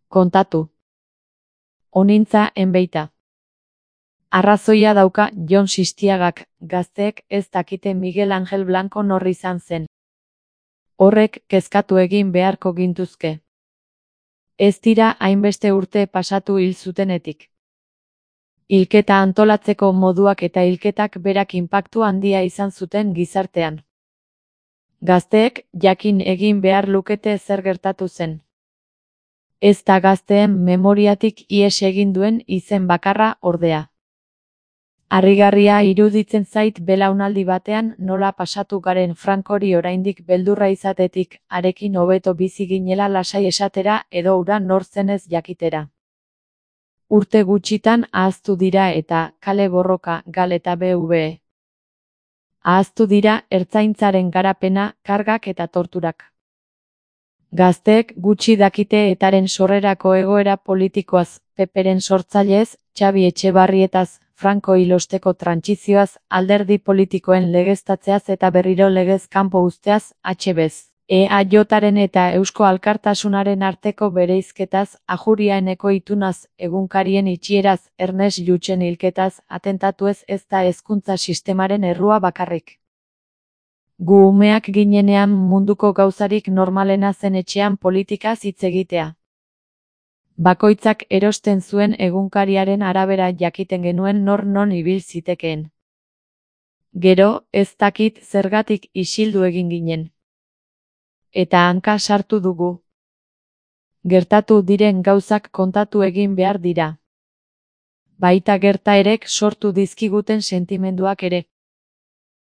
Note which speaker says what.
Speaker 1: Kontatu. Onintza enbeita. Arrazoia dauka Jon Sistiagak, gazteek ez dakite Miguel Angel Blanco nor izan zen. Horrek kezkatu egin beharko gintuzke. Ez dira hainbeste urte pasatu hil zutenetik. Hilketa antolatzeko moduak eta hilketak berak inpaktu handia izan zuten gizartean. Gazteek jakin egin behar lukete zer gertatu zen. Ez da gazteen memoriatik ihes egin duen izen bakarra ordea. Harrigarria iruditzen zait belaunaldi batean nola pasatu garen Francori oraindik beldurra izatetik, harekin hobeto bizi ginela lasai esatera edo hura nor zenez jakitera. Urte gutxitan ahaztu dira eta kale borroka, gal eta BV. Ahaztu dira ertzaintzaren garapena, kargak eta torturak. Gazteek gutxi dakite etaren sorrerako egoera politikoaz, Peperen sortzaileez, Xabi Etxebarrietaz, Franco hilosteko trantsizioaz, alderdi politikoen legeztatzeaz eta berriro legez kanpo uzteaz, HBz. EAJaren eta Eusko Alkartasunaren arteko bereizketaz, Ajuriaeneko itunaz, egunkarien itxieraz, Ernest Lluchen hilketaz, atentatuez ez da hezkuntza sistemaren errua bakarrik. Gu umeak ginenean munduko gauzarik normalena zen etxean politikaz hitz egitea. Bakoitzak erosten zuen egunkariaren arabera jakiten genuen nor non ibil zitekeen. Gero, ez dakit zergatik isildu egin ginen. Eta hanka sartu dugu. Gertatu diren gauzak kontatu egin behar dira. Baita gertaerek sortu dizkiguten sentimenduak ere.